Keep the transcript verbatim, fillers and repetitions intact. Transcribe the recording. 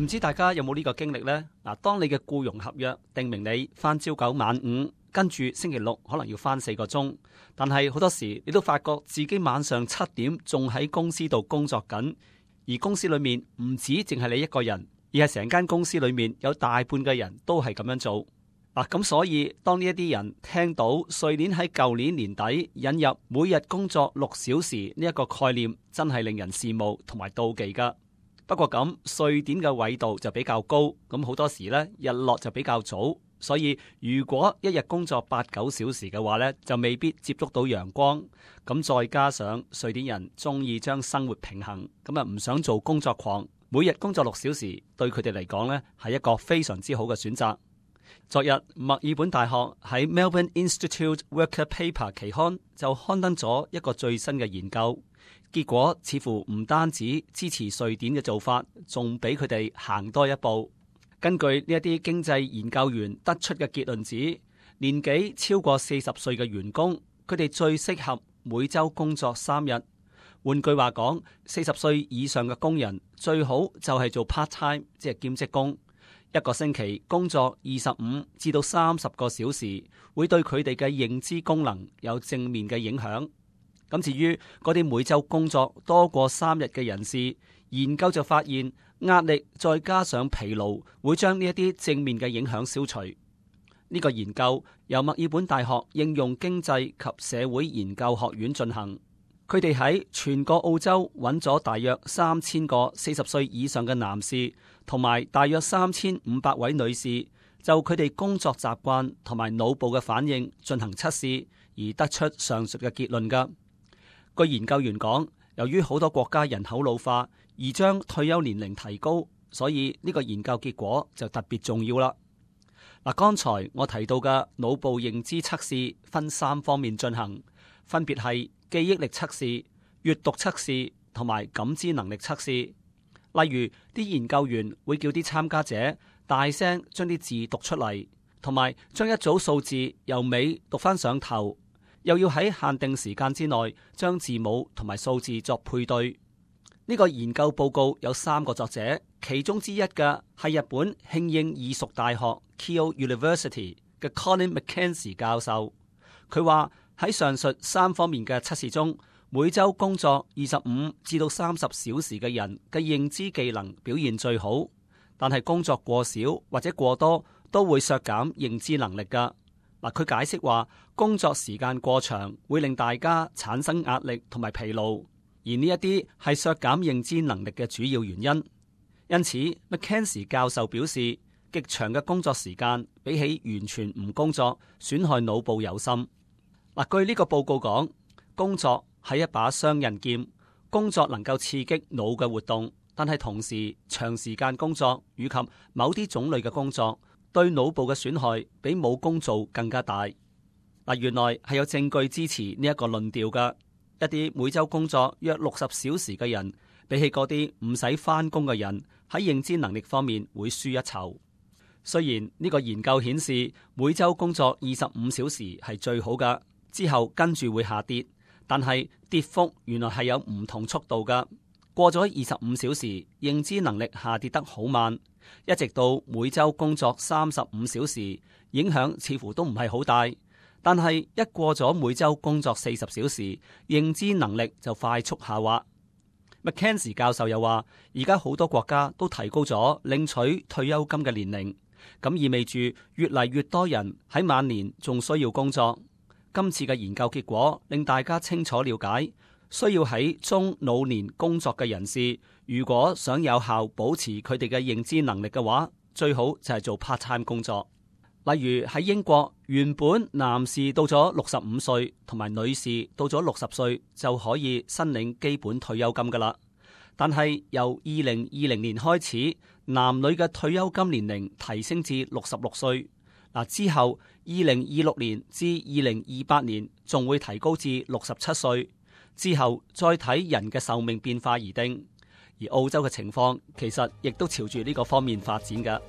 唔知大家有冇呢個經歷呢？嗱，當你嘅僱傭合約定明你返朝九晚五，跟住星期六可能要返四個鐘，但係好多時你都發覺自己晚上七點仲喺公司度工作緊，而公司裏面唔止淨係你一個人，而係成間公司裏面有大半嘅人都係咁樣做。嗱，咁所以當呢一啲人聽到瑞典喺舊年年底引入每日工作六小時呢一個概念，真係令人羨慕同埋妒忌噶。不過咁，瑞典嘅緯度就比較高，咁好多時呢日落就比較早，所以如果一日工作八九小時嘅話呢，就未必接觸到陽光。咁再加上瑞典人中意將生活平衡，咁啊唔想做工作狂，每日工作六小時對佢哋嚟講呢係一個非常之好嘅選擇。昨日墨爾本大學喺 Melbourne Institute Worker Paper 期刊就刊登咗一個最新嘅研究。結果似乎唔單止支持瑞典嘅做法，仲俾佢哋行多一步。根據呢一啲經濟研究員得出嘅結論指，年紀超過四十歲嘅員工，佢哋最適合每週工作三日。換句話講，四十歲以上嘅工人最好就係做 part time， 即係兼職工，一個星期工作二十五至到三十個小時，會對佢哋嘅認知功能有正面嘅影響。咁至於嗰啲每周工作多過三日嘅人士，研究就發現壓力再加上疲勞會將呢一啲正面嘅影響消除。呢個研究由墨爾本大學應用經濟及社會研究學院進行，佢哋喺全個澳洲揾咗大約三千個四十歲以上嘅男士，同埋大約三千五百位女士，就佢哋工作習慣同埋腦部嘅反應進行測試，而得出上述嘅結論㗎。據研究員講，由於好多國家人口老化而將退休年齡提高，所以呢個研究結果就特別重要啦。嗱，剛才我提到嘅腦部認知測試分三方面進行，分別係記憶力測試、閱讀測試同埋感知能力測試。例如，啲研究員會叫啲參加者大聲將啲字讀出嚟，同埋將一組數字由尾讀返上頭。又要喺限定時間之內將字母同埋數字作配對。呢個研究報告有三個作者，其中之一嘅係日本慶應義塾大學 Keio University 嘅 Colin McKenzie 教授。佢話喺上述三方面嘅測試中，每周工作二十五至到三十小時嘅人嘅認知技能表現最好，但係工作過少或者過多都會削減認知能力㗎。嗱，佢解釋話，工作時間過長會令大家產生壓力同埋疲勞，而呢一啲係削減認知能力嘅主要原因。因此 ，McKenzie 教授表示，極長嘅工作時間比起完全唔工作，損害腦部尤甚。嗱，據呢個報告講，工作係一把雙刃劍，工作能夠刺激腦嘅活動，但係同時長時間工作以及某啲種類嘅工作，對腦部嘅損害比冇工做更加大。嗱，原來係有證據支持呢一個論調㗎。一啲每週工作約六十小時嘅人，比起嗰啲唔使返工嘅人，喺認知能力方面會輸一籌。雖然呢個研究顯示每週工作二十五小時係最好㗎，之後跟住會下跌，但係跌幅原來係有唔同速度㗎。過咗二十五小時，認知能力下跌得好慢。一直到每周工作三十五小時，影響似乎都唔係好大。但係一過咗每周工作四十小時，認知能力就快速下滑。McKenzie 教授又話，而家好多國家都提高咗領取退休金嘅年齡，咁意味住越嚟越多人喺晚年仲需要工作。今次嘅研究結果令大家清楚了解，需要喺中老年工作嘅人士，如果想有效保持佢哋嘅認知能力嘅話，最好就係做 part time 工作。例如喺英國，原本男士到咗六十五歲同埋女士到咗六十歲就可以申領基本退休金噶啦，但係由二零二零年開始，男女嘅退休金年齡提升至六十六歲。嗱，之後二零二六年至二零二八年仲會提高至六十七歲，之後再睇人嘅壽命變化而定。而澳洲嘅情況其實亦都朝住呢個方面發展㗎。